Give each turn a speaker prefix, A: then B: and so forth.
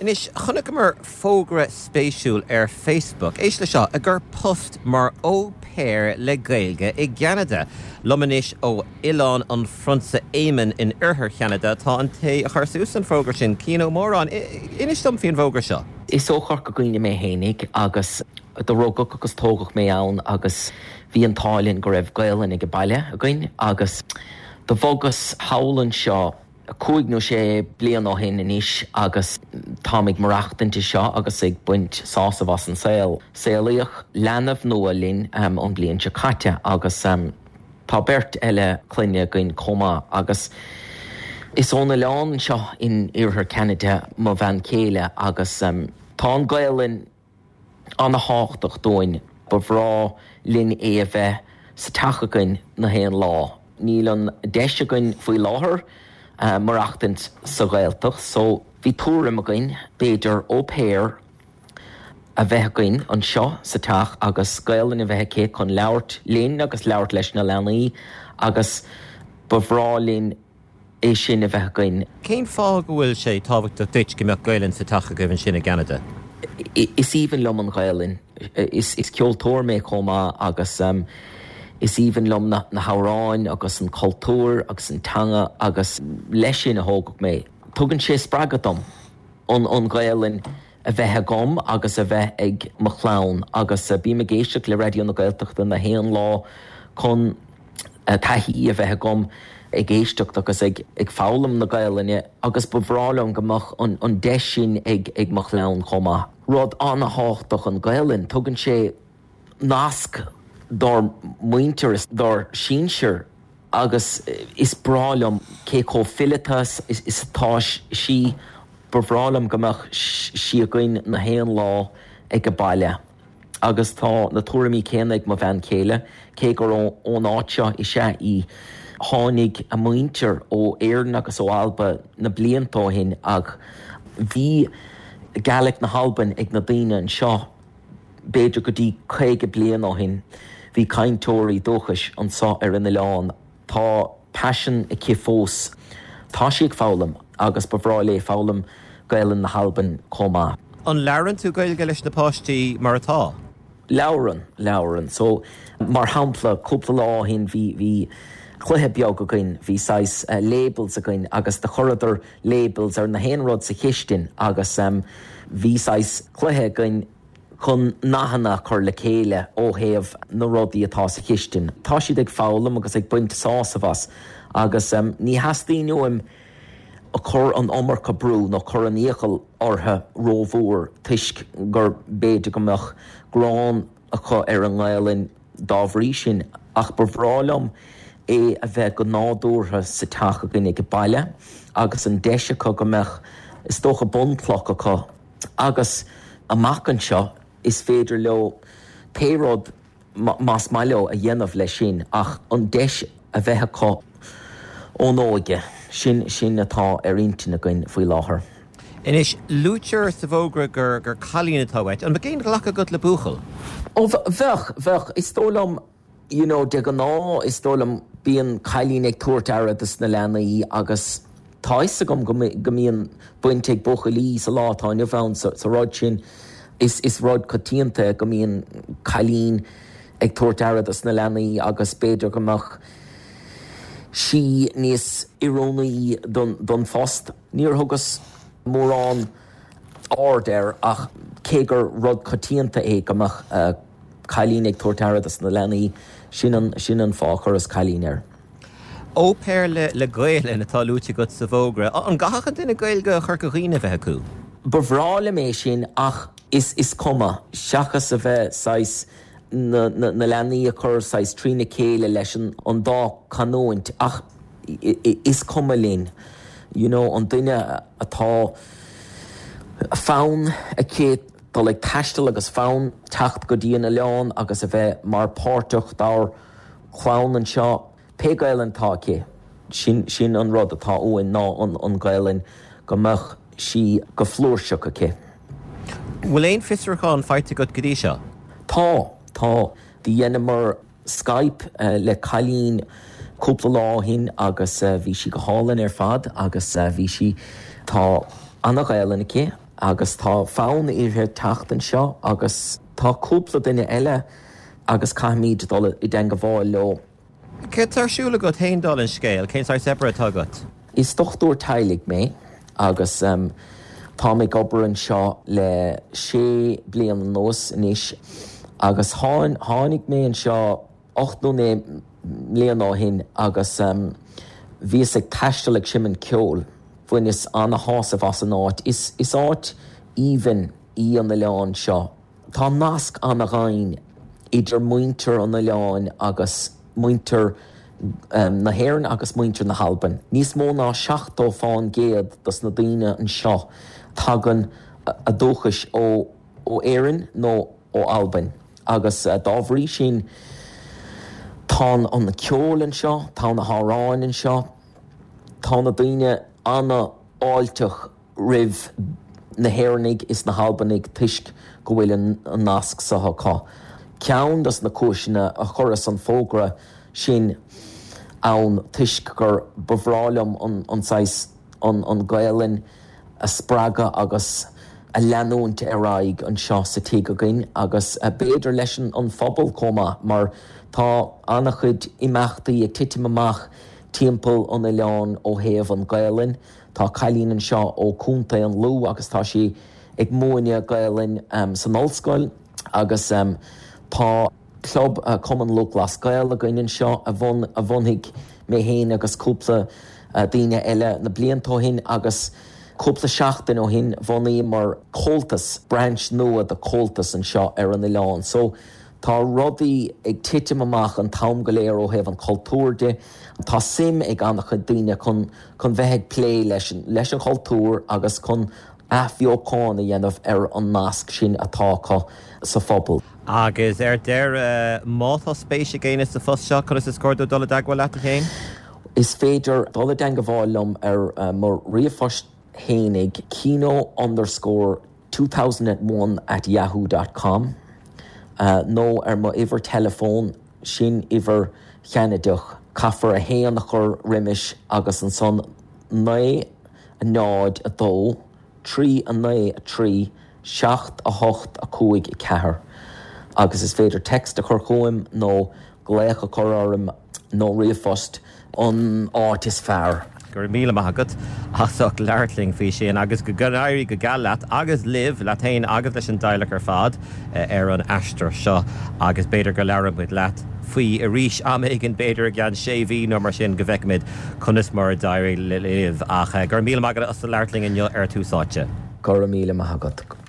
A: Anois, chonaiceamar fógra spéisiúil ar Facebook, éist le seo, ag cur post mar au pair le Gaeilge i gCeanada. Liom anois ó Oileán an Phrionsa Éamonn in oirthear Cheanada tá an té a chuir suas an fógra sin, Cian Ó Móráin. Inis dom faoin bhfógra seo.
B: Is ó Chorca Dhuibhne mé fhéinig agus do rugadh agus tógadh mé ann agus bhí an t-ádh linn go raibh Gaolainn ag an baile againn agus do bhogas thall anseo cúig nó sé bliana ó shin anois agus táim ag maireachtaint anseo agus ag baint sásamh as an saol. Saolaíodh leanbh nua linn an bhliain seo caite agus tá beirt eile clainne againn chomh maith agus is ón oileán anseo in iarthar Cheanada mo bhean chéile agus tá an Ghaelainn ana-thábhachtach dúinn. Ba bhreá linn é a bheith sa teach againn na haon lá. Níl an deis againn faoi láthair maireachtaint sa Ghaeltacht so bhí tuairim againn b'fhéidir au pair a bheith againn anseo sa teach agus Gaelainn a bheith aici chun labhairt linn agus labhairt leis na leanaí agus ba bhreá linn é sin a bheith againn.
A: Cén fáth go bhfuil sé tábhachtach duit go mbeadh Gaelainn sa teach agaibh ansin i gCeanada?
B: Is aoibhinn liom an Ghaelainn. Is ceoltóir mé chomh maith agus is aoibhinn liom na hamhráin agus an cultúr agus an teanga agus leis sin a thógadh mé. Tugann sé spreagadh dom an Ghaelainn a bheith agam agus a bheith ag mo chlann agus bím ag éisteacht le Raidió na Gaeltachta na haon lá chun taithí a bheith agam ag éisteacht agus ag foghlaim na Gaelainne agus ba bhreá liom go mbeadh an deis sin ag mo chlann chomh maith. Rud an-thábhachtach an Ghaelainn, tugann sé nasc dár muintir is dár sinsir agus is breá liom cé chomh fileata is atá sí, ba bhreá liom go mbeadh sí againn na haon lá ag an baile. Agus tá na tuairimí céanna ag mo bhean chéile, cé gur ón áit seo is ea í. Tháinig a muintir ó Éirinn agus ó Alba na blianta ó shin ach bhí Gaelic na hAlban ag na daoine anseo b'fhéidir go dtí 50 bliain ó shin. Bhí cainteoirí dúchais anseo ar an oileán. Tá paisean aici fós. Tá sí ag foghlaim agus ba bhreá léi foghlaim Gaelainn na hAlban chomh maith.
A: An labhrann tú Gaeilge leis na páistí mar atá?
B: Labhrann, labhrann. So, mar shampla, cúpla lá ó shin bhí, bhí cluiche beag againn, bhí saghas labels againn agus do chuireadar labels ar na haon rud sa chistin agus bhí saghas cluiche againn chun nathanna a chur le chéile ó thaobh na rudaí atá sa chistin. Tá siad ag foghlaim agus ag baint sásamh as agus ní theastaíonn uaim cur an iomarca brú nó cur an iachall orthu rómhór toisc gur b'fhéidir go mbeadh gráin acu ar an nGaelainn dá bhrí sin ach ba bhreá liom é a bheith go nádúrtha sa teach againn ag baile agus an deis acu go mbeadh is dócha bunchloch acu agus amach anseo is féidir leo pé rud más maith leo a dhéanamh leis sin ach an deis a bheith acu ón óige, sin sin atá ar intinn againn faoi láthair.
A: Anois, luaitear sa bhfógra gur gur cailín atá uait. An mbeadh aon ghlacadh agat le buachaill?
B: Ó, bheadh, bheadh. Is dóigh liom, you know, de ghnáth, is dóigh liom, bíonn cailín ag tabhairt aire dos na leanaí agus tá fhios agam go go mbíonn baint ag buachaillí sa lá atá inniu ann sa sa rud sin. Is is rud coitianta go mbíonn cailín ag tabhairt aire dos na leanaí agus b'fhéidir go mbeadh sí níos oiriúnaí don don phost. Níor thugas mórán aird air ach cé gur rud coitianta é go mbeadh cailín ag tabhairt aire dos na leanaí, sin an, sin an fáth a chuireas cailín air.
A: Au pair le, le Gaelainn atá luaite agat sa bhfógra. An gcaithfeadh an duine Gaeilge Chorca Dhuibhne a bheith acu?
B: Ba bhreá liom é sin ach is, is cuma, seachas a bheith saghas na, na, na leanaí a chur saghas trína chéile leis an, an dá chanúint ach, is cuma linn, you know, an duine atá fonn aici dul ag taisteal agus fonn teacht go dtí an oileán agus a bheith mar páirteach dár chlann anseo, pé Gaelainn atá aici, sin, sin an rud atá uainn ná an, an Ghaelainn, go mbeadh sí go flúirseach aici.
A: Bhfuil aon fiosrúchán faighte agat go dtí seo?
B: Tá, tá. Do dheineamar. Skype le cailín cúpla lá ó shin agus bhí sí go hálainn ar fad agus bhí sí, tá ana-Ghaelainn aici. agus tá fonn uirthi teacht anseo agus tá cúpla duine eile agus caithfimid dul i dteangabháil leo.
A: Céard tá ar siúl agat féin dála an scéil? Cén saghas oibre atá agat?
B: Is dochtúir teaghlaigh mé agus táim ag obair anseo le sé bliana anuas anois agus tháinig mé anseo 8 nó 9 mbliana ó shin agus bhíos ag taisteal ag seimint ceoil. Bhaineas ana-shásamh as an áit. Is áit aoibhinn í an oileán seo. Tá nasc ana-dhaingean idir muintir an oileáin agus muintir na hÉireann agus muintir na hAlban. Níos mó ná 70 fán gcéad dos na daoine anseo, tagann a dúchais ó Éirinn nó ó Albain agus dá bhrí sin tá an ceol anseo, tá na hamhráin anseo, tá na daoine ana-fháilteach. roimh na hÉireannaigh is na hAlbanaigh toisc go bhfuil an nasc seo acu. Ceann dos na cúiseanna a chuireas an fógra sin ann toisc gur ba bhreá liom an saghas an Gaelainn a spreagadh agus a leanúint ar aghaidh anseo sa tigh againn agus b'fhéidir leis an phobal chomh maith mar tá an-chuid imeachtaí ag titim amach timpeall an oileáin ó thaobh an Gaelainn. Tá cailín anseo ó Contae an Lú agus tá sí ag múineadh Gaelainn san ollscoil agus tá club Cumann Lúthchleas Gael againn anseo a bhunaigh mé féin agus cúpla daoine eile na blianta ó shin agus cúpla seachtain ó shin bhunaíomar Comhaltas, branch nua de Comhaltas anseo ar an oileán. So tá rudaí ag titim amach an t-am go léir ó thaobh an chultúir de. Tá suim ag an-chuid daoine chun chun bheith ag plé leis leis an chultúr agus chun athbheochan a dhéanamh ar an nasc sin atá acu sa phobal.
A: Agus ar deireadh, má tá spéis ag éinne sa phost seo, conas is cóir dóibh dul i dteagmháil leat, a Chéin?
B: Is féidir dul i dteagmháil liom ar mo ríomhphost fhéinig, keno underscore 2001 at yahoo dot com, nó ar mo uimhir teileafóin, sin uimhir Cheanadach, caithfear 1 a chur roimis agus ansan 9 0 2 3 9 3 7 8 5 4 agus is féidir text a chur chugam nó glaoch a chur orm nó ríomhphost an áit is fearr.
A: Go raibh míle maith agat as ucht labhairt linn faoi sin agus go n-éirí go geal leat agus libh, leat féin agus leis an dteaghlach ar fad ar an aistear seo agus b'fhéidir go labhróidh muid leat faoi arís am éigin, b'fhéidir i gceann sé mhí nó mar sin go bhfeicfimid conas mar a d'éirigh libh. Ach go raibh míle maith agat as labhairt linn inniu ar Tús Áite.
B: Go raibh míle maith agat.